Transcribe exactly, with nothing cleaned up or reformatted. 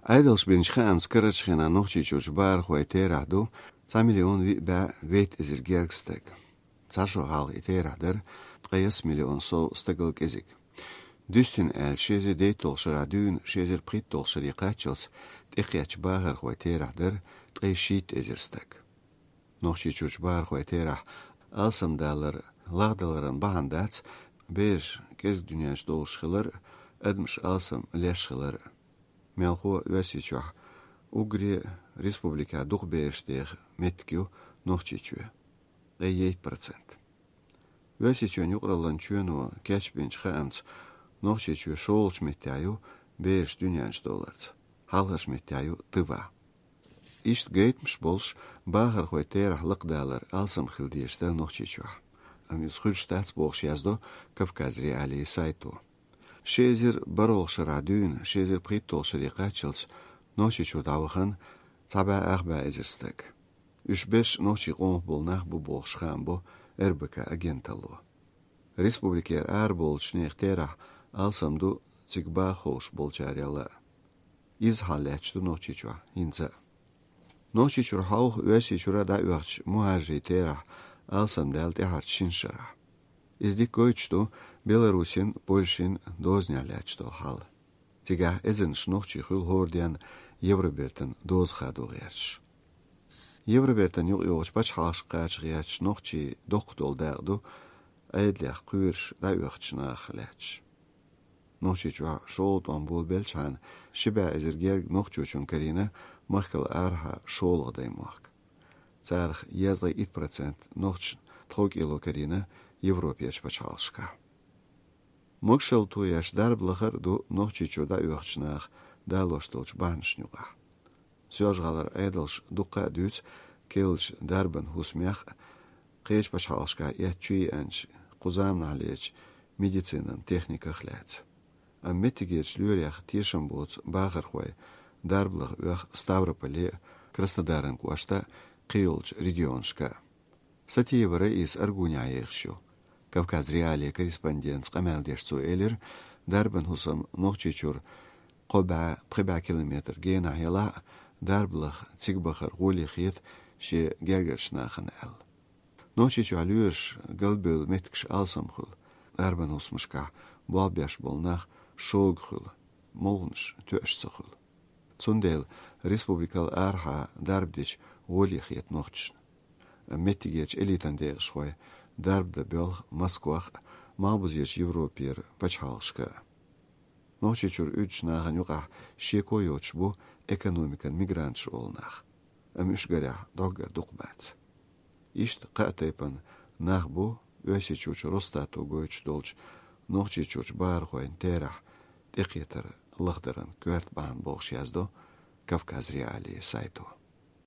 Ӏедалш бинчу хаамца карарчу хенахь Нохчийчуьрчу бахархойн терахь ду цхьа миллион виъ бӀе вейтта эзар гергга стаг. Цхьа шо хьалха и терахь дара ткъе ялх миллион сов стагал кӀезиг. Дуьстина аьлча, ши эзар дейтталгӀа шарахь дуьйна ши эзар пхийтталгӀа шаре кхаччалц тӀекхеттачу бахархойн терахь дара ткъе шийтта эзар стаг. Нохчийчуьрчу бахархойн терахь алсамдалар лагӀдаларан бахьана дац бераш кӀезиг дуьнен чу долуш хилар а, адамаш алсам леш хилар а. Мелхо а Оьрсийчохь, уггаре а республикехь дукха бераш деха меттиг ю Нохчийчоь, ткъе ейтта процент. Оьрсийчоьнан юкъараллин чоьно кечбинчу хаамца, Нохчийчоь шолгӀачу меттехь ю бераш дуьнен чу долларца, хьалхарчу меттехь ю Тыва. Иштта гайтамаш болуш, бахархойн терахь лакхадалар алсам хила дезаш дара Нохчийчохь. Амма иза хуьлуш дац бохуш яздо Кавказ.Реалии сайто. Ши эзар бархӀалгӀа шарахь дуьйна ши эзар пхийтталгӀа шаре кхаччалц Нохчийчуьра дӀавахана цхьа бӀе ах бӀе эзар стаг. Уьш берш нохчийн къомах болу нах бу бохуш хаам бо РБК агенталло. Республикера араболчу нехан терахь алсам ду цига баха хууш болчарел а. Изза хьал лаьтташ ду Нохчийчохь хӀинца а. Нохчийчуьра хьовха Оьрсийчуьра дӀаоьхучу мухӀажарийн терахь алсамдаьлла тӀаьхьарчу шина шарахь. Иза дика гойтуш ду Беларусин, Польшин дозанехь лаьтташ долу хьал. Цигахь эзарнаш нохчий хуьлу хӀора денна Евробертан доза хадо гӀерташ. Евробертан юкъайогӀучу пачхьалкхашка кхача гӀерташ нохчийн доккха долу дакъа ду Ӏедалех кхоьруш дӀаоьхучу нахах лаьтташ. Нохчийчохь шолгӀа тӀом болабелчхьана, ши бӀе эзар гергга нохчочунна карийна махкал арахьа шолгӀа даймохк. Царах езткъе итт процент нохчашна тховкӀело карийна Европерчу пачхьалкхашкахь. Могушалла тоеш дарба лахар а ду Нохчийчуьра дӀаоьхучу наха далош долчу бахьанашна юкъахь. Соьлжа-ГӀалара Ӏедалша дуккха а дуьйцу керлачу дарбан хӀусамех а, кхечу пачхьалкхашкахь эцна чу еанчу, кху заманахьлерчу медицинан техниках а лаьцна. Амма меттигерчу лоьрех тешам боцу бахархой дарба лаха оьху Ставрополе а, Краснодаран кӀошта а, кхийолчу регионашка а. Сатиева Раиса Аргунехь ехаш ю. Кавказ.Реалии корреспондентца къамел деш цо элира, дарбан хӀусам Нохчийчуьра кхо бӀе, пхи бӀе километр генахь елахь а, дарба лаха цига бахар гӀоле хета шен гергарчу нахана аьлла. Нохчийчохь лоьраш галбевлла меттигаш алсам хуьлу, дарбан хӀусамашкахь болх беш болу нах шога хуьлу, молханаш тоьаш ца хуьлу. Цундела республикал арахьа дарба дича гӀоле хета нохчашна. Амма меттигерчу элитан декъашхой дарба дан боьлху Москвах а, малхбузерчу Европера пачхьалкхашка а. Нохчийчуьра уьдучу нахана юкъахь шеко йоцуш бу экономикан мигранташ олу нах. Амма уьш гарехь дӀоггара дукха бац. Иштта кхаа тайпана нах бу Оьрсийчуьрчу Росстато гойтуш долчу Нохчийчуьрчу бахархойн терахь тӀекхетар лахдаран коьрта бахьана бохуш яздо Кавказ.Реалии сайто.